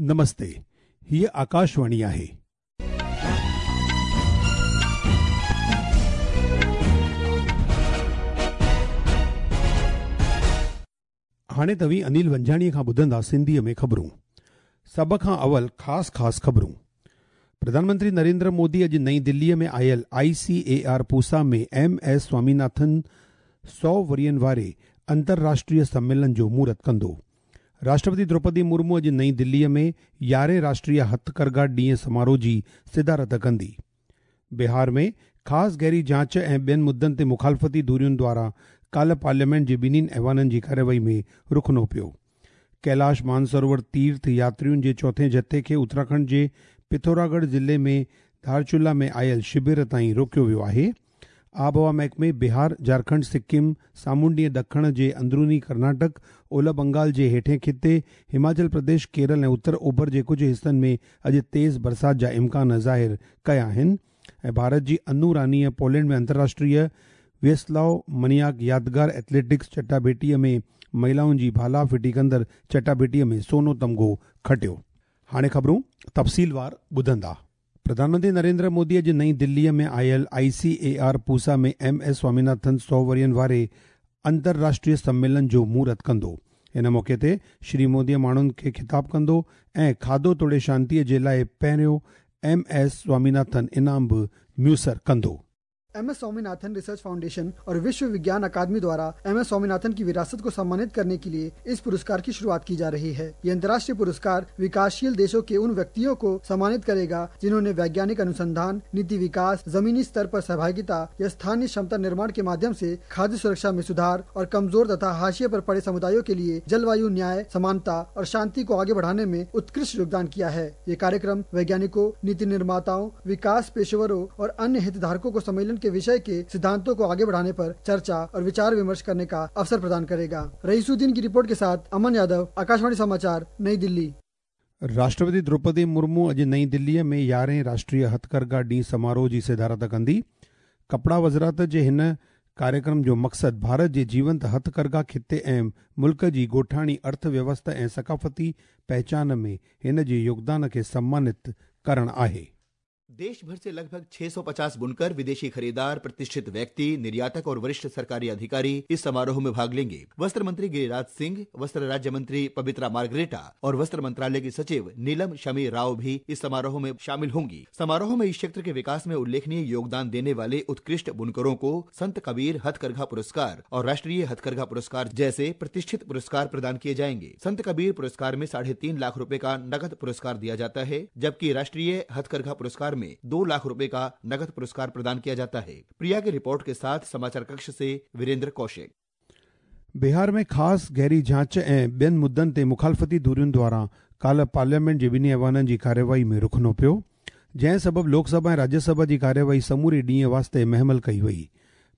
نمستي، هيء آڪاشواڻي آهي. هاڻي توهين انيل ونجهاڻيء کان ٻڌندا سنڌيء ۾ خبرون. سڀ کان اول خاص خاص خبرون. پرڌان منتري نريندر مودي اڄ نئين دليء ۾ آيل I C A R Pusa ۾ M S Swaminathan سؤ ورهين واري انترراشٽريه سميلن جو مهورت ڪندو. راشٽرپتي دروپدي مرمو اڄ نئين دليء ۾ يارهين راشٽريه هٿڪرگها ڏينهن سماروهه جي صدارت ڪندي. بهار ۾ خاص گهري جاچ ۽ ٻين مدن تي مخالفتي ڌرين دواران ڪالهه پارليامينٽ جي ٻنهين ايوانن جي ڪارروائي ۾ رخنو پيو. ڪيلاش مانسروور تيرٿ ياترين جي چوٿين جٿي کي اتراکنڊ جي پٿوراڳڙهه ضلعي ۾ ڌارچولا ۾ آيل شبر تائين روڪيو ويو آهي. آبهوا محڪمي بهار، جهارکنڊ، سڪم، سامونڊي ۽ ڏکڻ جي اندروني ڪرناٽڪ، اولهه بنگال جي هيٺئين خطي، هماچل پرديش، ڪيرل ۽ اتر اوڀر جي ڪجهه حصن ۾ اڄ تيز برسات جا امڪان ظاهر ڪيا آهن ۽ ڀارت جي انو رانيء پولينڊ ۾ انترراشٽريه ويسلاو منياڪ يادگار ايٿليٽڪس چٽاڀيٽيء ۾ مهلائن جي ڀالا ڦٽي ڪندڙ چٽاڀيٽيء ۾ سونو تمغو کٽيو. هاڻي خبرون تفصيلوار ٻڌندا. پرڌان منتري نريندر مودي اڄ نئين دليء ۾ آيل I C A R Pusa ۾ M S Swaminathan سؤ ورهين واري انترراشٽريه سميلن جو مهورت ڪندو. ان موقعي تي شري مودي ماڻهن کي خطاب ڪندو ۽ کاڌو توڙي شانتيء جي لاء پهريون ايم ايس سواميناٿن انعام به ميسر ڪندو. M S Swaminathan research foundation और विश्व विज्ञान अकादमी द्वारा एम एस स्वामीनाथन की विरासत को सम्मानित करने के लिए इस पुरस्कार की शुरुआत की जा रही है। ये अंतर्राष्ट्रीय पुरस्कार विकासशील देशों के उन व्यक्तियों को सम्मानित करेगा जिन्होंने वैज्ञानिक अनुसंधान, नीति विकास, जमीनी स्तर पर सहभागिता या स्थानीय क्षमता निर्माण के माध्यम से खाद्य सुरक्षा में सुधार और कमजोर तथा हाशिए पर पड़े समुदायों के लिए जलवायु न्याय, समानता और शांति को आगे बढ़ाने में उत्कृष्ट योगदान किया है। ये कार्यक्रम वैज्ञानिकों, नीति निर्माताओं, विकास पेशेवरों और अन्य हितधारकों को सम्मेलन के विषय के सिद्धांतों को आगे बढ़ाने पर चर्चा और विचार विमर्श करने का अवसर प्रदान करेगा। रईसुद्दीन की रिपोर्ट के साथ अमन यादव, आकाशवाणी समाचार, नई दिल्ली। राष्ट्रपति द्रौपदी मुर्मू अॼु नई दिल्लीअ में यारहें राष्ट्रीय हथकरघा ॾींहुं समारोह जी सदारत कंदी। कपिड़ा वज़ारत जे हिन कार्यक्रम जो मक़सदु भारत जे जीवंत हथकरघा खिते ऐं मुल्क जी ॻोठाणी अर्थ व्यवस्था ऐं सकाफ़ती पहिचान में हिन जे योगदान खे सम्मानित करणु आहे। देश भर से लगभग 650 बुनकर, विदेशी खरीदार, प्रतिष्ठित व्यक्ति, निर्यातक और वरिष्ठ सरकारी अधिकारी इस समारोह में भाग लेंगे। वस्त्र मंत्री गिरिराज सिंह, वस्त्र राज्य मंत्री पबित्रा मार्गरेटा और वस्त्र मंत्रालय की सचिव नीलम शमी राव भी इस समारोह में शामिल होंगी। समारोह में इस क्षेत्र के विकास में उल्लेखनीय योगदान देने वाले उत्कृष्ट बुनकरों को संत कबीर हथकरघा पुरस्कार और राष्ट्रीय हथकरघा पुरस्कार जैसे प्रतिष्ठित पुरस्कार प्रदान किए जाएंगे। संत कबीर पुरस्कार में 3.5 लाख रुपए का नकद पुरस्कार दिया जाता है, जबकि राष्ट्रीय हथकरघा पुरस्कार में 2 लाख रुपए का नकद पुरस्कार प्रदान किया जाता है। प्रिया की रिपोर्ट के साथ समाचार कक्ष से वीरेंद्र कौशिक। बिहार में ख़ासि गहरी जांच ऐं ॿियनि मुद्दनि ते मुखालफ़ती धुरियुनि द्वारा काल्ह पार्लियामेंट जे ॿिन्ही ऐवाननि जी कार्यवाही में रुखनो पियो, जंहिं सबबि लोकसभा ऐं राज्यसभा जी कार्यवाही समूरे ॾींहं वास्ते महमल कई वई।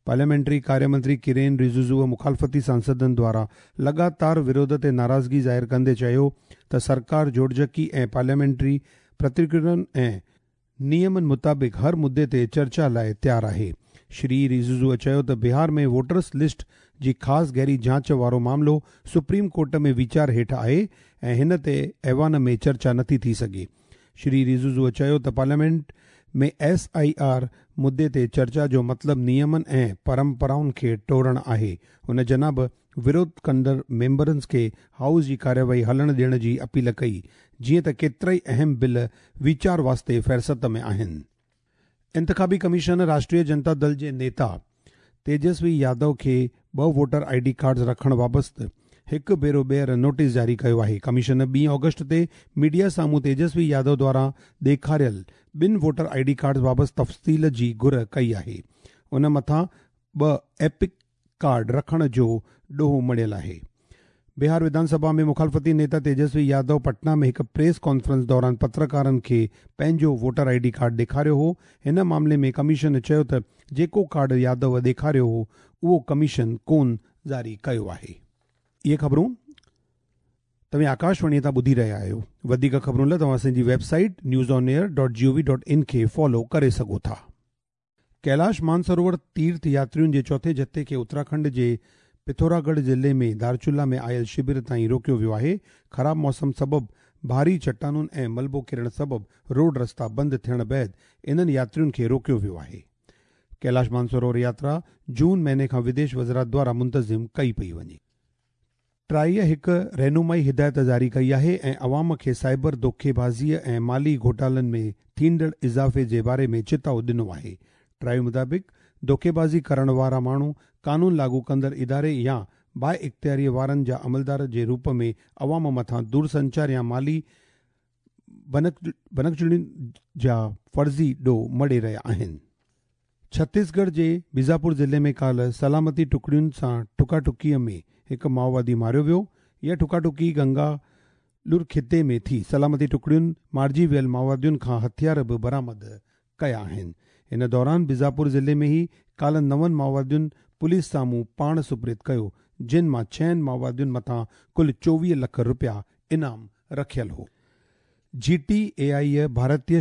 पार्लियामेंट्री कार्य मंत्री किरेन रिजिजूअ मुखालफ़ती सांसदनि द्वारा लगातार विरोध ते नाराज़गी ज़ाहिर कंदे चयो त सरकार जोड़जकी ऐं पार्लियामेंट्री प्रतिक्रियुनि ऐं नियमनि मुताबिक़ हर मुद्दे ते चर्चा लाइ तयारु आहे। श्री रिजिजूअ चयो त बिहार में वोटर्स लिस्ट जी ख़ासि गहरी जांच वारो मामिलो सुप्रीम कोर्ट में वीचार हेठि आहे ऐं हिन ते ऐवान में चर्चा नथी थी सघे। श्री रिजिजूअ चयो त पार्लियामेंट में एस I R मुद्दे ते चर्चा जो मतिलबु नियमनि ऐं परंपराउनि खे टोड़णु आहे। हुन जनाब विरोध कंदड़ मेंबरनि खे हाउस जी कार्यवाही हलण ॾियण जी अपील कई, जीअं त केतिरा ई अहम बिल वीचार वास्ते फ़हरिस्त में आहिनि। इंतिख़ाबी कमीशन राष्ट्रीय जनता दल जे नेता तेजस्वी यादव खे ॿ वोटर I D cards रखण बाबति हिकु भेरो ॿीहर नोटिस जारी कयो आहे। कमीशन 2 ऑगस्ट ते मीडिया साम्हूं तेजस्वी यादव द्वारा ॾेखारियल ॿिनि वोटर I D cards बाबति तफ़सील जी घुर कई आहे। उन मथां ॿ एपिक कार्ड रखण जो ॾोह मढ़ियल आहे। बिहार विधानसभा में मुखालफ़ती नेता तेजस्वी यादव पटना में हिकु प्रेस कॉन्फ्रेंस दौरान पत्रकारनि खे पंहिंजो वोटर I D card ॾेखारियो हो। हिन मामले में कमीशन चयो त जेको कार्ड यादव ॾेखारियो हो उहो कमीशन कोन जारी कयो आहे। इहे ख़बरूं तव्हां आकाशवाणीअ तां ॿुधी रहिया आहियो। वधीक ख़बरुनि लाइ तव्हां असांजी वेबसाइट newsonair.gov.in खे फॉलो करे सघो था। कैलाश मानसरोवर तीर्थ यात्रियुनि जे चौथे जथे खे उत्तराखंड जे पिथौरागढ़ ज़िले में धारचूला में आयल शिविर ताईं रोकियो वियो आहे। ख़राब मौसम सबबि ڀاري چٽانن ۽ ملبو ڪرڻ سبب روڊ رستا بند ٿيڻ بعد انهن ياترين کي روڪيو ويو آهي. ڪيلاش مانسروور ياترا جون مهيني کان وديش وزارت دواران منتظم ڪئي پئي وڃي. ٽرائيء هڪ رهنمائي هدايت جاري ڪئي آهي ۽ عوام کي سائبر دوکيبازيء ۽ مالي گهوٽالن ۾ ٿيندڙ اضافي جي باري ۾ چتاء ڏنو آهي. ٽرائي مطابق، دوکيبازي ڪرڻ وارا ماڻهو قانون لاڳو ڪندڙ اداري يا بااختياريء وارن جا عملدار جي روپ ۾ عوام مٿان دورسنچار يا مالي ڀڃڪڙين جا فرضي ڏوهه مڙهي رهيا آهن. ڇتيسڳڙهه جي بيجاپور ضلعي ۾ ڪالهه سلامتي ٽڪڙين سان ٺڪاٺڪيء ۾ هڪ مائووادي ماريو ويو. اها ٺڪاٺڪي گنگا لر خطي ۾ ٿي. سلامتي ٽڪڙين مارجي ويل مائووادين کان هٿيار به برآمد ڪيا آهن. ان دوران بيجاپور ضلعي ۾ ئي ڪالهه نون مائووادين پوليس سامهون پاڻ سپرد ڪيو، جن مان ڇهن مائووادين مٿان ڪل 24 لک رپيا انعام رکيل هو. جي ٽي اي آء ڀارتي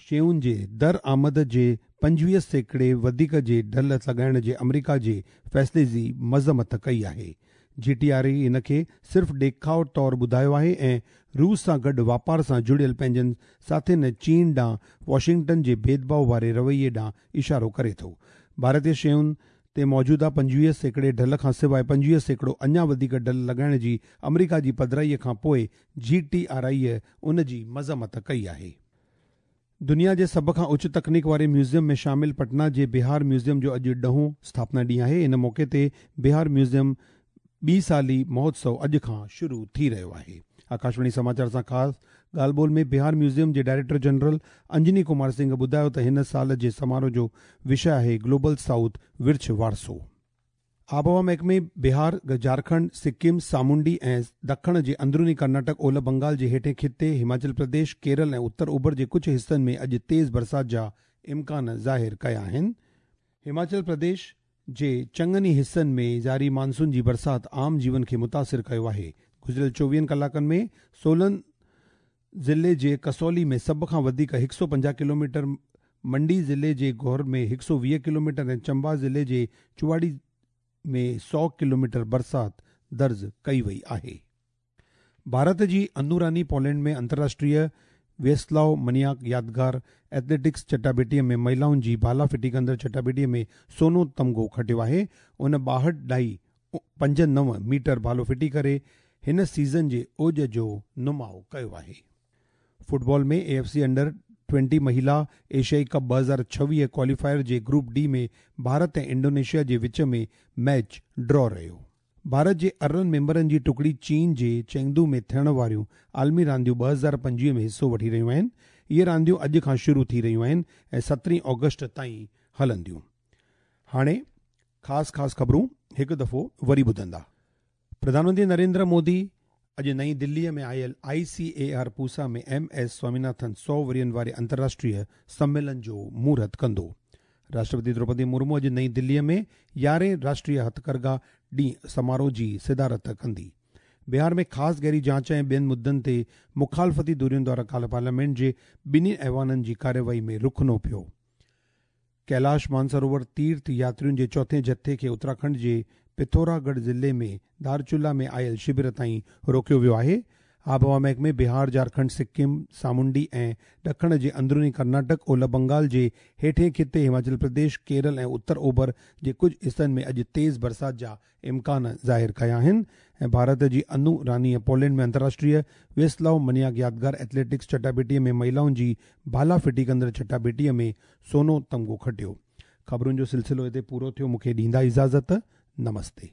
شين جي درآمد جي 25 سيڪڙي وڌيڪ جي ڍل لڳائڻ جي آمريڪا جي فيصلي جي مذمت ڪئي آهي. جي ٽي آر اي ان کي صرف ڏيکاء طور ٻڌايو آهي ۽ روس سان گڏ واپار سان جڙيل پنهنجن ساٿين ۽ چين ڏانهن واشنگٽن جي ڀيدڀاء واري رويي ڏانهن اشارو ڪري ٿو. ڀارتي شين تي موجوده 25 سيڪڙي ڍل کان سواء 25% اڃا وڌيڪ ڍل لڳائڻ جي آمريڪا جي پڌرائي کان پوء جي ٽي آر آء ان جي مذمت ڪئي آهي. دنيا جي سڀ کان اچ تڪنيڪ واري ميوزيم ۾ شامل پٽنا جي بهار ميوزيم جو اڄ ڏهون اسٿاپنا ڏينهن آهي. ان موقعي تي بهار ميوزيم ٻي سالي مهوتسو اڄ کان شروع ٿي رهيو آهي. آڪاشواڻي سماچار سان خاص ڳالهه ٻولهه ۾ بهار ميوزيم جي ڊائريڪٽر جنرل انجني ڪمار سنگهه ٻڌايو ته هن سال جي سماروهه جو وشيه آهي گلوبل سائوٿ ورڇ وارثو. آبهوا محڪمي بهار، جهارکنڊ، سڪم، سامونڊي ۽ ڏکڻ جي اندروني ڪرناٽڪ، اولهه بنگال جي هيٺين خطي، هماچل پرديش، ڪيرل ۽ اتر اوڀر جي ڪجهه حصن ۾ اڄ تيز برسات جا امڪان ظاهر ڪيا آهن. هماچل پرديش جي چڱن ئي حصن ۾ جاري مانسون جي برسات عام جيون کي متاثر ڪيو آهي. گذريل 24 ڪلاڪن ۾ سولن ضلعي جي ڪسولي ۾ سڀ کان وڌيڪ 150 ڪلوميٽر، منڊي ضلعي جي گور ۾ 120 ڪلوميٽر ۽ چمبا ضلعي جي چواڙي ۾ 100 ڪلوميٽر برسات درج ڪئي وئي آهي. ڀارت جي انو راني پولينڊ ۾ انترراشٽريه ويسلاو منياڪ يادگار ايٿليٽڪس چٽاڀيٽيء ۾ مهلائن جي ڀالا ڦٽي ڪندڙ چٽاڀيٽيء ۾ سونو تمغو کٽيو آهي. ان 62.59 ميٽر ڀالو ڦٽي ڪري هن سيزن جي اوج جو نماء ڪيو آهي. Football ۾ A F C under 20 مهلا ايشيائي ڪپ 2026 ڪواليفائر جي گروپ ڊي ۾ ڀارت ۽ انڊونيشيا جي وچ ۾ ميچ ڊرا رهيو. ڀارت جي 18 ميمبرن جي ٽڪڙي چين جي چينگدو ۾ ٿيڻ واريون عالمي رانديون 2025 ۾ حصو وٺي رهيون آهن. اهي رانديون اڄ کان شروع ٿي رهيون آهن ۽ 17 آگسٽ تائين هلنديون. هاڻي خاص خاص خبرون هڪ دفعو وري ٻڌندا. پرڌان منتري نريندر مودي اڄ نئين دليء ۾ آيل I C A R Pusa ۾ M S Swaminathan 100 ورهين واري انترراشٽريه سميلن جو مهورت ڪندو. راشٽرپتي دروپدي مرمو اڄ نئين دليء ۾ 11هين راشٽريه هٿڪرگها ڏينهن سماروهه جي صدارت ڪندي. بهار ۾ خاص گهري جاچ ۽ ٻين مدن تي مخالفتي ڌرين دواران ڪالهه پارليامينٽ جي ٻنهي ايوانن جي ڪارروائي ۾ رخنو پيو. ڪيلاش مانسروور تيرٿ ياترين جي چوٿين جٿي کي اتراکنڊ جي پٿوراڳڙهه ضلعي ۾ ڌارچولا ۾ آيل شبر تائين روڪيو ويو آهي. آبهوا محڪمي بهار، جهارکنڊ، سڪم، سامونڊي ۽ ڏکڻ جي اندروني ڪرناٽڪ، اولهه بنگال جي هيٺين خطي، هماچل پرديش، ڪيرل ۽ اتر اوڀر جي ڪجهه حصن ۾ اڄ تيز برسات جا امڪان ظاهر ڪيا آهن ۽ ڀارت جي انو رانيء پولينڊ ۾ انترراشٽريه ويسلاو منياڪ يادگار ايٿليٽڪس چٽاڀيٽيء ۾ مهلائن جي ڀالا ڦٽي ڪندڙ چٽاڀيٽيء ۾ سونو تمغو کٽيو. خبرن جو سلسلو هتي پورو ٿيو مون کي ڏيندا اجازت. نمستي.